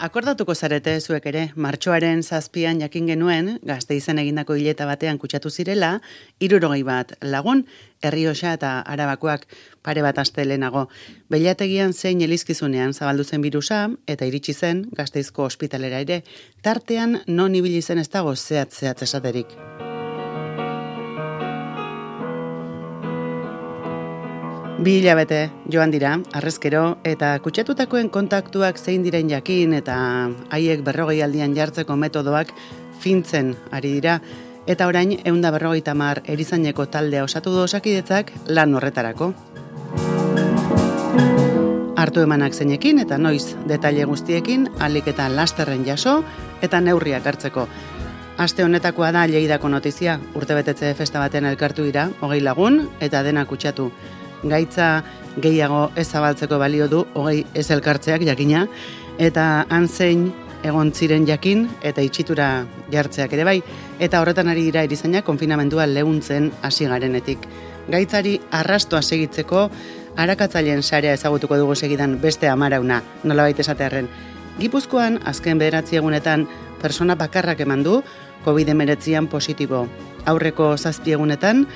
Akordatuko zarete zuek ere, martxoaren 7an jakin genuen, Gasteizen egindako hileta batean kutsatu zirela, 60 bat lagun, Errioxa eta Arabakoak pare bat aste lehenago. Behiategian zein elizkizunean zabaldu zen birusa, eta iritsi zen Gasteizko ospitalera ere, tartean non ibili zen ez dago zehatz esaterik. Bi hilabete joan dira, harrezkero, eta kutsatutakoen kontaktuak zein diren jakin eta haiek 40 aldian jartzeko metodoak fintzen ari dira, eta orain 150 erizaineko taldea osatu du Osakidetzak lan horretarako. Hartu emanak zeinekin eta noiz detaile guztiekin, ahalik eta lasterren jaso eta neurriak hartzeko. Aste honetakoa da Lleidako notizia, urtebetetze festa batean elkartu dira, 20 lagun eta dena kutsatu. Gaitza gehiago ez zabaltzeko balio du, 20 ez elkartzeak jakina, eta han zein egon ziren jakin eta itxitura jartzeak ere bai, eta horretan ari dira erizainak konfinamendua leuntzen hasi garenetik. Gaitzari arrastoa segitzeko, arakatzaileen sarea ezagutuko dugu segidan beste 10 nolabait esatearren. Gipuzkoan, azken 9 egunetan, persona bakarrak eman du, COVID-19 positibo. Aurreko 7 egunetan,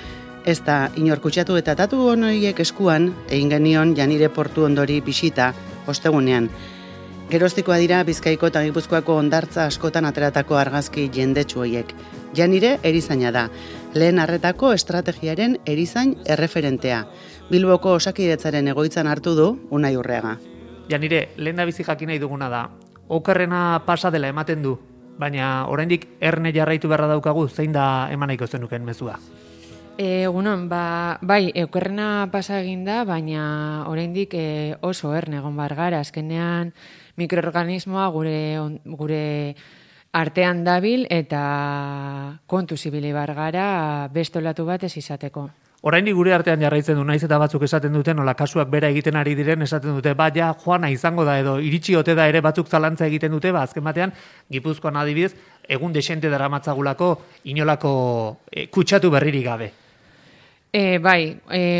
ez da inor kutsatu eta datu honoiek eskuan egin genion Janire portu ondori bisita ostegunean. Geroztikoa dira Bizkaiko eta Gipuzkoako hondartza askotan ateratako argazki jendetsu horiek. Janire erizaina da, lehen arretako estrategiaren erizain erreferentea. Bilboko Osakidetzaren egoitzan hartu du Unai Urreaga. Janire, lehen da bizi jakin nahi duguna da, okerrena pasa dela ematen du, baina oraindik erne jarraitu beharra daukagu, zein da eman nahiko zenuken mezua? Egunon, bai, okerrena pasa egin da, baina oraindik oso erne egon bar gara. Azkenean mikroorganismoa gure artean dabil eta kontuz ibili bar gara beste olatu bat ez izateko. Oraindik gure artean jarraitzen du, naiz eta batzuk esaten dute, nola kasuak bera egiten ari diren esaten dute, ja joana izango da edo iritsi ote da ere batzuk zalantza egiten dute, azken batean Gipuzkoan adibidez egun desente daramatzagulako inolako kutsatu berririk gabe.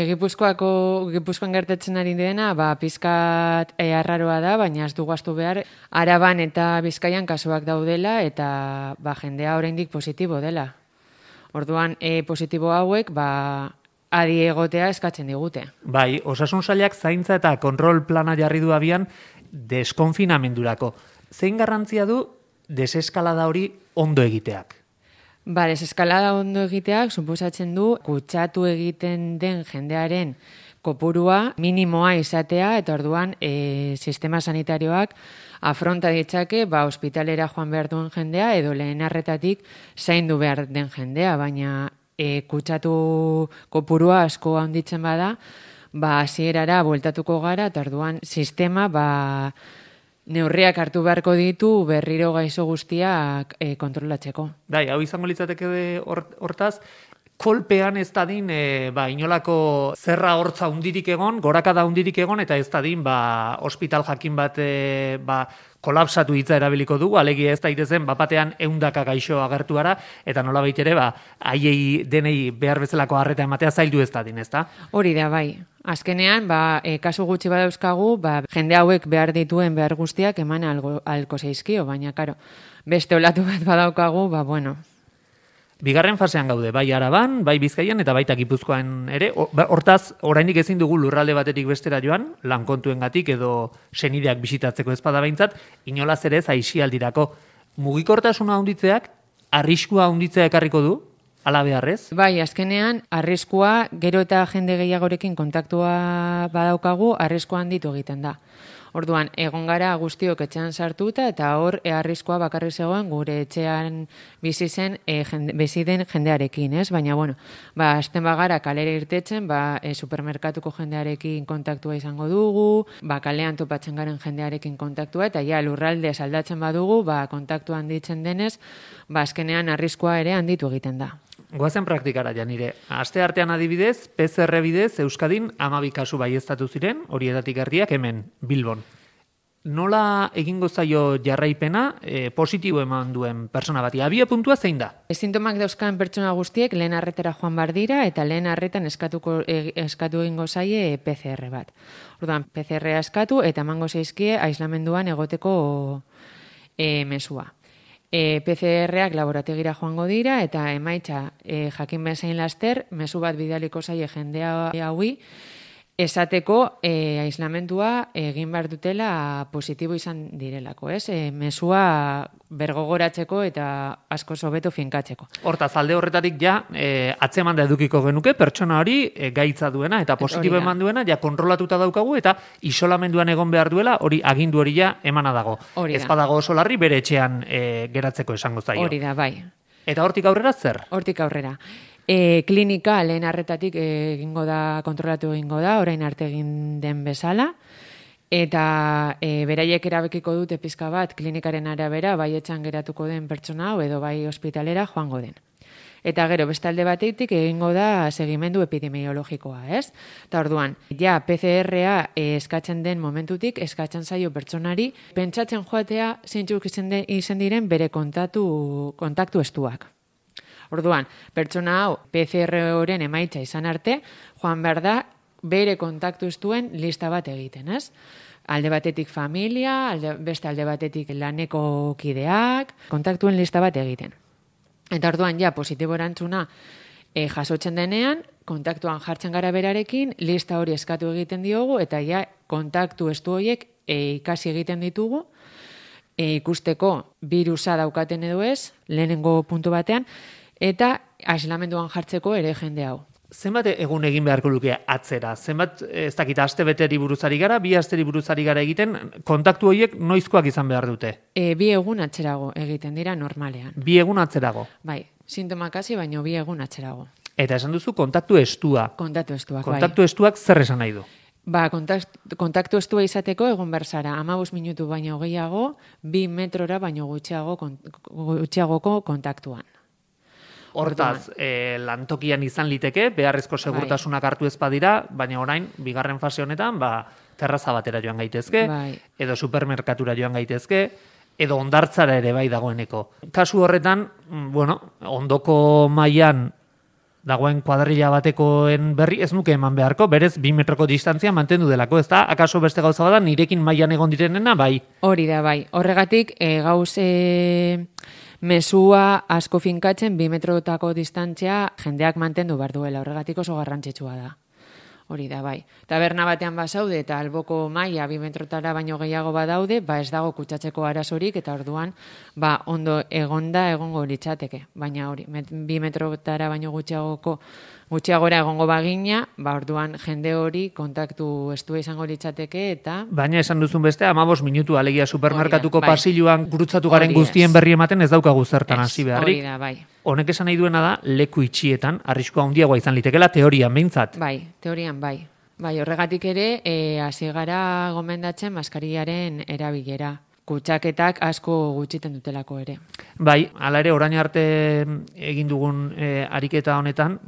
Gipuzkoan gertatzen ari dena, pizkat arraroa da, baina ez dugu ahaztu behar, Araban eta Bizkaian kasuak daudela eta jendea oraindik positibo dela. Orduan, positibo hauek, adi egotea eskatzen digute. Bai, Osasun Sailak zaintza eta kontrol plana jarri du abian deskonfinamendurako. Zein garrantzia du deseskalada hori ondo egiteak? Deseskalada ondo egiteak suposatzen du kutsatu egiten den jendearen kopurua minimoa izatea eta orduan sistema sanitarioak afronta ditzake ospitalera joan behar duen jendea edo lehen arretatik zaindu behar den jendea, baina kutsatu kopurua asko handitzen bada, hasierara bueltatuko gara eta orduan sistema neurriak hartu beharko ditu berriro gaixo guztiak kontrolatzeko. Hau izango litzateke hortaz, kolpean ez dadin inolako zerra hortza hundirik egon, gorakada hundirik egon, eta ez dadin ospital jakin bat kolapsatu hitza erabiliko dugu, alegia ez daitezen batean 100 gaixo agertu gara, eta nolabait ere haiei denei behar bezalako arreta ematea zaildu ez dadin, ez da? Hori da, bai. Azkenean, kasu gutxi badauzkagu, jende hauek behar dituen behar guztiak eman alko zaizkio, baina, karo, beste olatu bat badaukagu, bueno. Bigarren fasean gaude, bai Araban, bai Bizkaian eta baita Gipuzkoan ere. Hortaz, oraindik ezin dugu lurralde batetik bestera joan, lankontuengatik edo senideak bisitatzeko ezpada behintzat, inolaz ere aisialdirako. Mugikortasuna handitzeak, arriskua handitzea ekarriko du, ala beharrez? Bai, azkenean, arriskua gero eta jende gehiagorekin kontaktua badaukagu, arriskua handitu egiten da. Orduan, egon gara guztiok etxean sartuta eta hor arriskua bakarrik zegoen gure etxean bizi den jendearekin, ez? Baina, azten bagara kalera irtetzen, supermerkatuko jendearekin kontaktua izango dugu, kalean topatzen garen jendearekin kontaktua, eta lurralde saldatzen badugu, kontaktua handitzen denez, azkenean arriskua ere handitu egiten da. Goazen praktikara, Janire. Aste artean adibidez, PCR bidez, Euskadin 12 kasu baieztatu ziren, horietatik erdiak hemen, Bilbon. Nola egingo zaio jarraipena positibo eman duen persona bati? Abia puntua zein da? Sintomak dauzkan pertsona guztiek lehen arretara joan bar dira eta lehen arretan eskatu egingo zaie PCR bat. Orduan, PCR eskatu eta emango zaizkie aislamenduan egoteko mesua. PCR-ak laborategira joango dira eta emaitza jakin bezain laster, mezu bat bidaliko zaie jendea haui, esateko aislamentua egin behar dutela positibo izan direlako, ez? Mesua bergogoratzeko eta asko hobeto finkatzeko. Hortaz, alde horretatik ja, atzeman da edukiko genuke, pertsona hori gaitza duena eta positibo eman duena, ja kontrolatuta daukagu eta isolamenduan egon behar duela, hori agindu hori ja emana dago. Ez badago oso larri bere etxean geratzeko esango zaio. Hori da, bai. Eta hortik aurrera zer? Hortik aurrera. Klinika lehen arretatik kontrolatu egingo da, orain arte egin den bezala, eta beraiek erabekiko dute pizka bat klinikaren arabera, bai etxan geratuko den pertsona hau edo bai ospitalera joango den. Eta gero, beste alde batetik egingo da segimendu epidemiologikoa, ez? Eta orduan, ja PCR-a eskatzen den momentutik, eskatzen zaio pertsonari, pentsatzen joatea zeintzuk izan diren bere kontaktu estuak. Orduan, pertsona hau PCR-oren emaitza izan arte, joan behar da bere kontaktu estuen lista bat egiten, ez? Alde batetik familia, beste alde batetik laneko kideak, kontaktuen lista bat egiten. Eta orduan, ja, positibo erantzuna jasotzen denean, kontaktuan jartzen gara berarekin, lista hori eskatu egiten diogu, eta ja, kontaktu estu horiek ikasi egiten ditugu, ikusteko birusa daukaten edo ez, lehenengo puntu batean, eta aislamenduan jartzeko ere jende hau. Zenbat egun egin beharko luke atzera? Zenbat, ez dakit, aste beteri buruzari gara, bi asteri buruzari gara egiten, kontaktu horiek noizkoak izan behar dute? 2 egun atzerago egiten dira normalean. 2 egun atzerago? Bai, sintomak hasi, baino 2 egun atzerago. Eta esan duzu kontaktu estua. Kontaktu estuak, bai. Kontaktu estuak zer esan nahi du? Kontaktu estua izateko egon berzara 15 minutu baino gehiago, 2 metrora baino gutxiagoko kontaktuan. Hortaz, lantokian izan liteke, beharrezko segurtasunak hartu ez badira, baina orain, bigarren fase honetan, terraza batera joan gaitezke, edo supermerkatura joan gaitezke, edo hondartzara ere bai dagoeneko. Kasu horretan, ondoko mailan dagoen kuadrilla batekoen berri ez nuke eman beharko, berez 2 metroko distantzia mantendu delako, ez da? Akaso beste gauza bada, nirekin mailan egon direnena, bai? Hori da, bai. Horregatik, mesua asko finkatzen 2 metrotako distantzia jendeak mantendu behar duela, horregatik oso garrantzitsua da. Hori da, bai. Taberna batean bazaude eta alboko maila 2 metrotara baino gehiago badaude, ez dago kutsatzeko arazorik eta orduan ondo egongo litzateke. Baina hori, 2 metrotara baino gutxiagora egongo bagina, orduan jende hori kontaktu estua izango litzateke eta... Baina esan duzun beste, 15 minutu alegia supermerkatuko pasiluan gurutzatu garen guztien berri ematen ez daukagu zertan hasi beharrik. Hori da, bai. Honek esan nahi duena da, leku itxietan, arriskua handiagoa izan litekela teorian behintzat. Bai, teorian bai. Bai, horregatik ere, hasi gara gomendatzen maskarillaren erabilera. Kutsaketak asko gutxiten dutelako ere. Bai, hala ere, orain arte egin dugun ariketa honetan,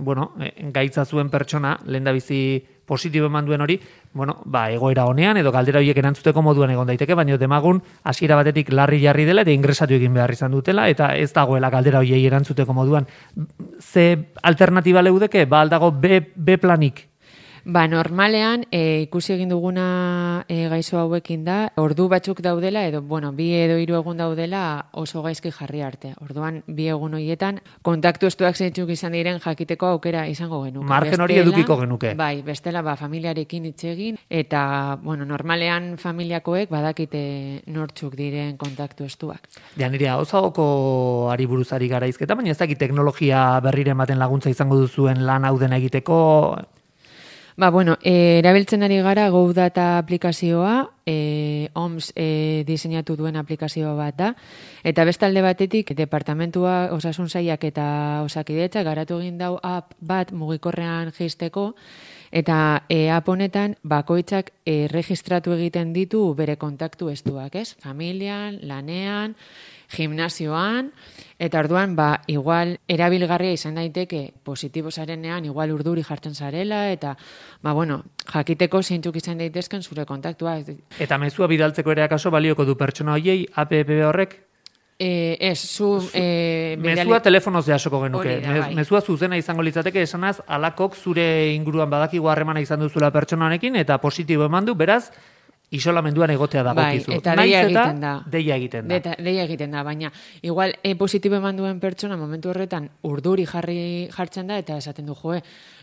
gaitza zuen pertsona, lehendabizi positibo eman duen hori, egoera honean edo galdera horiek erantzuteko moduan egon daiteke, baina demagun hasiera batetik larri jarri dela eta ingresatu egin behar izan dutela eta ez dagoela galdera horiei erantzuteko moduan. Ze alternatiba leudeke? Aldago B planik? Normalean, ikusi egin duguna gaizo hauekin da, ordu batzuk daudela, edo, 2 edo 3 egun daudela oso gaizki jarri arte. Orduan, 2 egun horietan, kontaktu estuak zeintzuk izan diren jakiteko aukera izango genuke. Margen hori edukiko genuke. Bai, bestela, familiarekin hitz egin, eta, normalean familiakoek badakite nortzuk diren kontaktu estuak. Nire osagoko ari buruzari garaizketa, baina ez dakit teknologia berrire ematen laguntza izango duzuen lan hau dena egiteko... Erabiltzen ari gara GoData aplikazioa, OMS diseinatu duen aplikazioa bat da, eta bestalde batetik departamentua osasun sailak eta osakidetza garatu egin dau app bat mugikorrean jaisteko, eta app honetan bakoitzak registratu egiten ditu bere kontaktu estuak, ez? Familian, lanean, gimnasioan, eta orduan, igual erabilgarria izan daiteke positibo zarenean, igual urduri jartzen zarela, eta, jakiteko zeintzuk izan daitezken zure kontaktua. Eta mezua bidaltzeko ere akaso balioko du pertsona hoiei app horrek? Mezua telefonoz jasoko genuke. Mezua zuzena izango litzateke esanaz, alakok zure inguruan badakigu harremana izan duzula pertsona honekin, eta positibo eman du, beraz, isolamenduan egotea dagokizu. Eta deia egiten da. Deia egiten da. Deia egiten da, baina igual positibo eman duen pertsona momentu horretan urduri jartzen da eta esaten du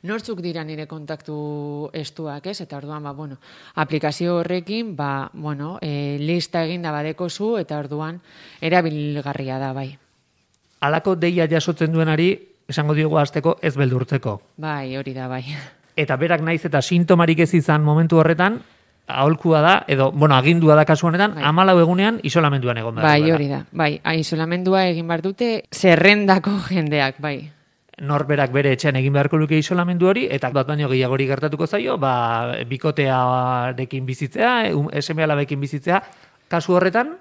nortzuk dira nire kontaktu estuak, ez? Eta orduan, aplikazio horrekin, lista eginda badekozu eta orduan erabilgarria da, bai. Halako deia jasotzen duenari, esango diogu hasteko ez beldurtzeko. Bai, hori da, bai. Eta berak naiz eta sintomarik ez izan momentu horretan, aholkua da, agindua da kasu honetan, 14 egunean isolamenduan egon behar. Bai, hori da. Bai, isolamendua egin behar dute zerrendako jendeak, bai. Norberak bere etxean egin beharko luke isolamendu hori, eta bat baino gehiagori gertatuko zaio, bikotearekin bizitzea, seme-alabekin bizitzea, kasu horretan,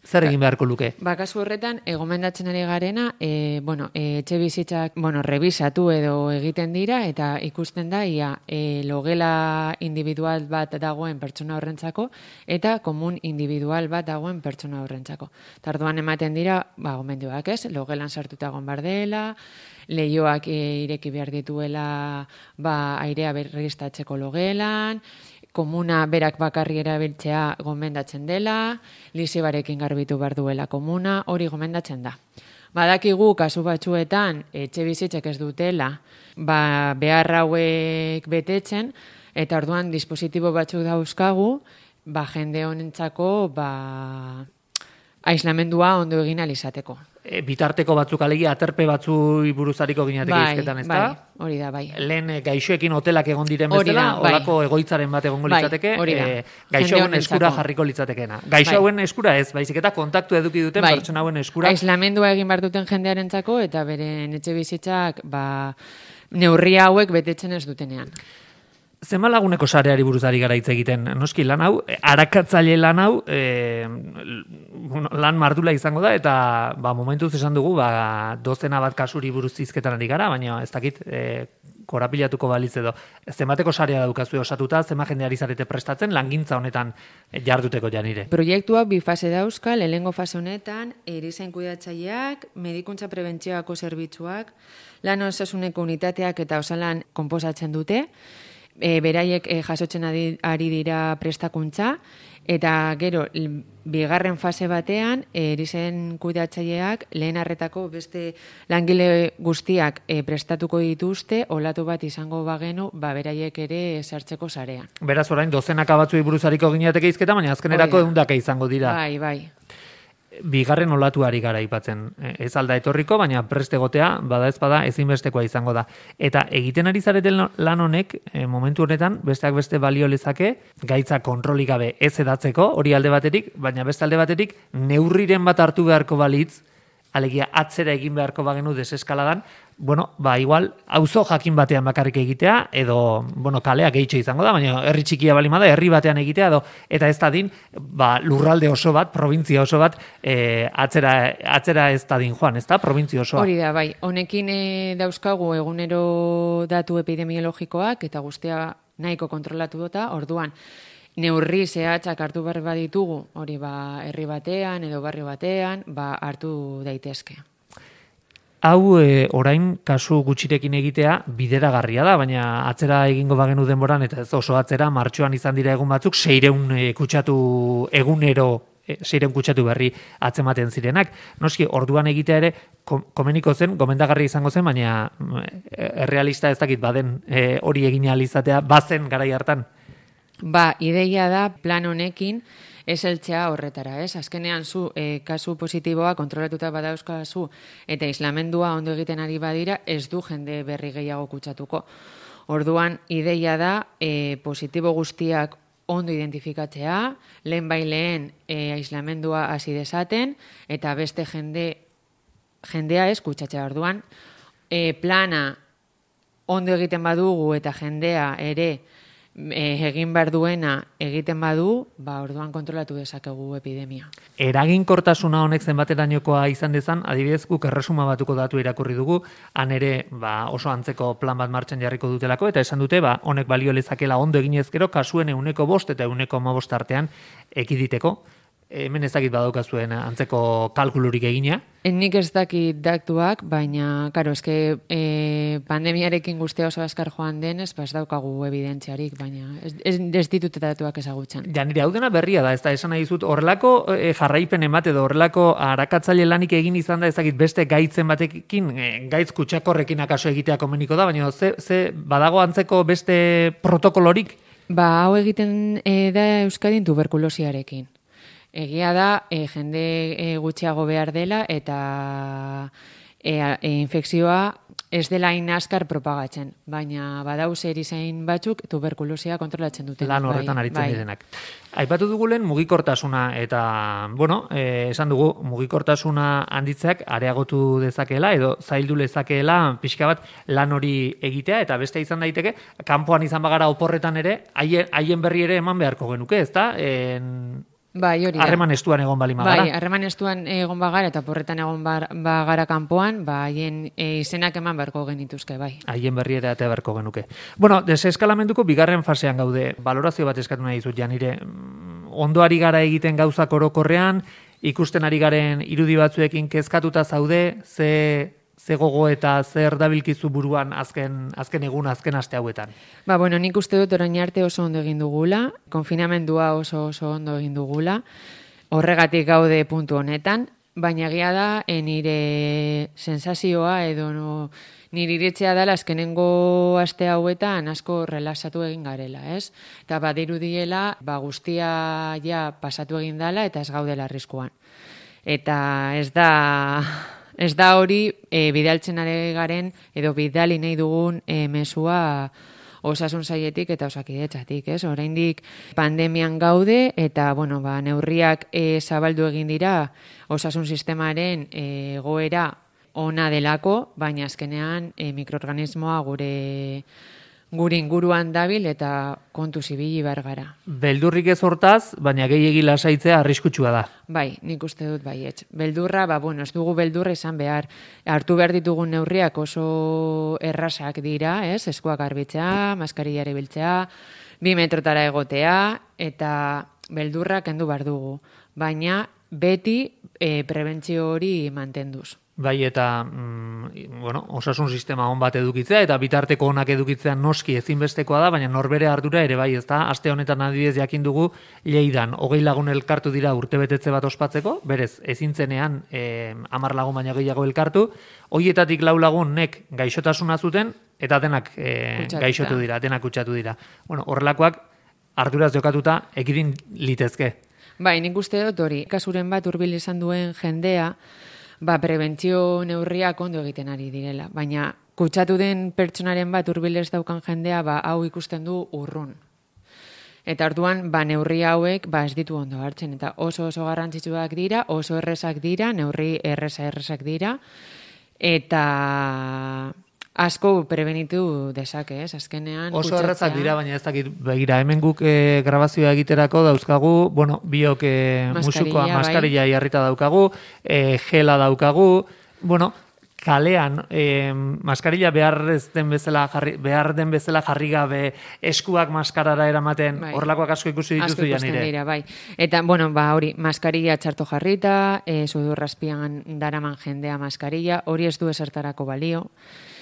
zer egin beharko luke? Kasu horretan, gomendatzen ari garena, etxe bizitzak, rebisatu edo egiten dira, eta ikusten da, logela individual bat dagoen pertsona horrentzako, eta komun individual bat dagoen pertsona horrentzako. Tarduan ematen dira, gomendioak ez, logelan sartuta egon behar dela, lehioak ireki behar dituela, airea berriztatzeko logelan, komuna berak bakarri erabiltzea gomendatzen dela, lisebarekin garbitu behar duela komuna, hori gomendatzen da. Badakigu kasu batzuetan etxe bizitzek ez dutela behar hauek betetzen, eta orduan dispositibo batzuk dauzkagu, jende honentzako aislamendua ondo egin alizateko. Bitarteko batzuk alegia, aterpe batzu buruzariko gineateke izketan, ez da? Bai, hori da, bai. Lehen gaixoekin hotelak egon diren bezala, olako egoitzaren bat egongo litzateke, gaixo hauen eskura jarriko litzatekeena. Gaixo hauen eskura ez, baizik eta kontaktu eduki duten pertsona hauen eskura. Aislamendua egin behar duten jendearentzako eta beren etxe bizitzak neurria hauek betetzen ez dutenean. Zenba laguneko sareari buruz ari gara hitz egiten, noski lan hau, arakatzaile lan hau, lan mardula izango da, eta momentuz esan dugu, dozena bat kasuri buruz hizketan ari gara, baina ez dakit korapilatuko balitz edo. Zenbateko sarea daukazu osatuta, zenbat jende ari zarete prestatzen, langintza honetan jarduteko janire. Proiektuak bi fase dauzka, lehenengo fase honetan, erizain kudeatzaileak, medikuntza prebentzioako zerbitzuak, lan osasuneko unitateak eta osalan konposatzen dute, beraiek jasotzen ari dira prestakuntza, eta gero, bigarren fase batean, erizain kudeatzaileak lehen arretako beste langile guztiak prestatuko dituzte, olatu bat izango bagenu, beraiek ere sartzeko sarean. Beraz, orain, dozenaka batzuei buruzariko gineateke izketa, baina azkenerako ehundaka izango dira. Bai. Bigarren olatuari gara aipatzen. Ez alda etorriko, baina prest egotea, bada ez bada, ezinbestekoa izango da. Eta egiten ari zareten lan honek, momentu honetan, besteak beste balio lezake, gaitza kontrolik gabe ez edatzeko, hori alde baterik, baina beste alde baterik, neurriren bat hartu beharko balitz, alegia atzera egin beharko bagenu deseskaladan, igual, auzo jakin batean bakarrik egitea, edo, kalea gehitxo izango da, baina herri txikia balima da, herri batean egitea, eta ez dadin, lurralde oso bat, provintzia oso bat, atzera ez dadin joan, ez da, provintzia osoa. Hori da, bai, honekin dauzkagu egunero datu epidemiologikoak, eta guztia nahiko kontrolatu dota, orduan, neurri zehatzak hartu behar baditugu, hori herri batean edo barrio batean, hartu daitezke. Hau orain kasu gutxirekin egitea bideragarria da, baina atzera egingo bagenu denboran, eta ez oso atzera, martxoan izan dira egun batzuk, 600 kutsatu egunero, 600 kutsatu berri atzematen zirenak. Noski, orduan egitea ere, komeniko zen, gomendagarri izango zen, baina errealista ez dakit baden hori egin ahal izatea, bazen garai hartan. Ideia da plan honekin ez heltzea horretara, ez? Azkenean zu kasu positiboa kontrolatuta badauzkazu eta islamendua ondo egiten ari badira, ez du jende berri gehiago kutsatuko. Orduan, ideia da positibo guztiak ondo identifikatzea, lehen aislamendua hasi dezaten, eta beste jendea ez kutsatzea. Orduan, plana ondo egiten badugu eta jendea ere egin behar duena egiten badu, orduan kontrolatu dezakegu epidemia. Eraginkortasuna honek zenbaterainokoa izan dezan, adibidez guk erresuma batuko datu irakurri dugu, han ere oso antzeko plan bat martxan jarriko dutelako, eta esan dute honek balio lezakela ondo eginezkero, kasuen 105 eta 115 artean ekiditeko. hemen ez dakit badaukazuen antzeko kalkulurik egina. Nik ez dakit datuak, baina, karo, eske pandemiarekin guztia oso azkar joan denez, ez daukagu evidentziarik, baina ez ditut datuak ezagutzen. Ja, nire hau dena berria da, ez da, esan nahi dizut, horrelako jarraipen emate edo horrelako arakatzaile lanik egin izan da, ez dakit beste gaitzen batekin, gaitz kutsakorrekin akaso egitea komeniko da, baina ze badago antzeko beste protokolorik? Ba, hau egiten da Euskadin tuberkulosiarekin. Egia da, jende gutxiago behar dela eta infekzioa ez dela hain azkar propagatzen, baina badauz erizain batzuk tuberkulosia kontrolatzen duten. Lan horretan aritzen direnak. Aipatu dugu lehen mugikortasuna eta, esan dugu mugikortasuna handitzeak areagotu dezakeela edo zaildu lezakeela pixka bat lan hori egitea eta beste izan daiteke, kanpoan izan bagara oporretan ere, haien berri ere eman beharko genuke, ezta? Bai, hori da. Harreman estuan egon bali magara. Bai, harreman estuan egon bagara eta porretan egon bagara kanpoan, haien izenak eman beharko genituzke, bai. Haien berri ere atea beharko genuke. Bueno, deseskalamenduko bigarren fasean gaude. Balorazio bat eskatu nahi dizut, Janire. Ondo ari gara egiten gauzak orokorrean, ikusten ari garen irudi batzuekin kezkatuta zaude, ze gogo eta zer dabilkizu buruan azken egun, azken aste hauetan? Ba, bueno, nik uste dut orain arte oso ondo egin dugula, konfinamendua oso ondo egin dugula, horregatik gaude puntu honetan, baina egia da, nire sensazioa edo nire iritzea dela azkenengo aste hauetan asko relaxatu egin garela, ez? Eta badirudiela, guztia ja pasatu egin dela eta ez gaudela arriskuan. Eta ez da hori bidaltzen ari garen edo bidali nahi dugun mesua osasun sailetik eta osakidetzatik, ez? Oraindik pandemian gaude eta neurriak zabaldu egin dira osasun sistemaren egoera ona delako, baina azkenean mikroorganismoa gure inguruan dabil eta kontu zibili behar gara. Beldurrik ez hortaz, baina gehiegi lasaitzea arriskutsua da. Bai, nik uste dut baietz. Beldurra, ez dugu beldurra izan behar. Hartu behar ditugun neurriak oso errazak dira, ez? Eskuak garbitzea, maskarilla erabiltzea, 2 metrotara egotea, eta beldurra kendu behar dugu. Baina beti prebentzio hori mantenduz. Bai, eta osasun sistema on bat edukitzea eta bitarteko onak edukitzea noski ezinbestekoa da, baina norbere ardura ere bai, ezta? Aste honetan adibidez jakin dugu Lleidan 20 lagun elkartu dira urtebetetze bat ospatzeko, berez ezintzenean 10 lagun baino gehiago elkartu, hoietatik 4 lagunek gaixotasuna zuten eta denak gaixotu dira, denak kutsatu dira. Horrelakoak arduraz jokatuta ekidin litezke. Bai, nik uste dut hori, kasuren bat hurbil izan duen jendea, prebentzio neurriak ondo egiten ari direla, baina kutsatu den pertsonaren bat hurbil ez daukan jendea, hau ikusten du urrun. Eta orduan, neurri hauek ez ditu ondo hartzen, eta oso garrantzitsuak dira, oso errezak dira, neurri errezak dira, eta asko prebenitu dezake, ez? Azkenean oso errazak dira, baina ez dakit begira, hemen guk grabazioa egiterako dauzkagu, biok musukoa, maskarilla jarrita daukagu, gela daukagu, kalean maskarilla behar den bezala jarri gabe eskuak maskarara eramaten, horrelakoak asko ikusi dituzu Janire. Dira, bai. Eta, hori, maskarilla txarto jarrita, sudurrazpian daraman jendea maskarilla, hori ez du esertarako balio.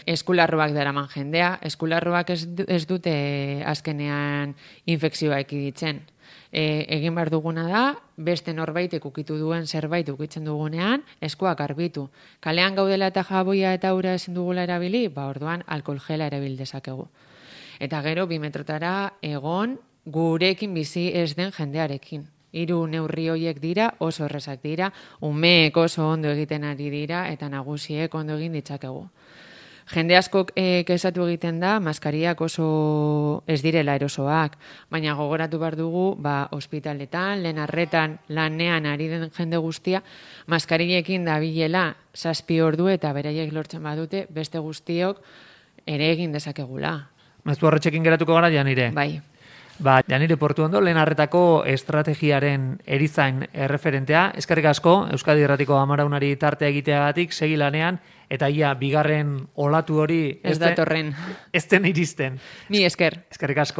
Eskularruak daraman jendea, eskularruak ez dute azkenean infekzioa ekiditzen. Egin behar duguna da, beste norbaitek ukitu duen zerbait ukitzen dugunean, eskuak garbitu. Kalean gaudela eta jaboia eta ura ezin dugula erabili, orduan alkohol gela erabil dezakegu. Eta gero, 2 metrotara egon gurekin bizi ez den jendearekin. 3 neurri horiek dira, oso errezak dira, umeek oso ondo egiten ari dira, eta nagusiek ondo egin ditzakegu. Jende askok kezatu egiten da, maskariak oso ez direla erosoak, baina gogoratu behar dugu, ospitaletan, lehen arretan, lanean ari den jende guztia, maskariekin dabilela 7 ordu eta beraiek lortzen badute, beste guztiok ere egin dezakegula. Mezu horretxekin geratuko gara, Janire? Bai. Janire Portuondo, lehen arretako estrategiaren erizain erreferentea. Eskerrik asko, Euskadi Irratiko Amaraunari tartea egiteagatik, segi lanean, eta ia bigarren olatu hori ez datorren. Ez den iristen. Mi esker. Eskerrik asko.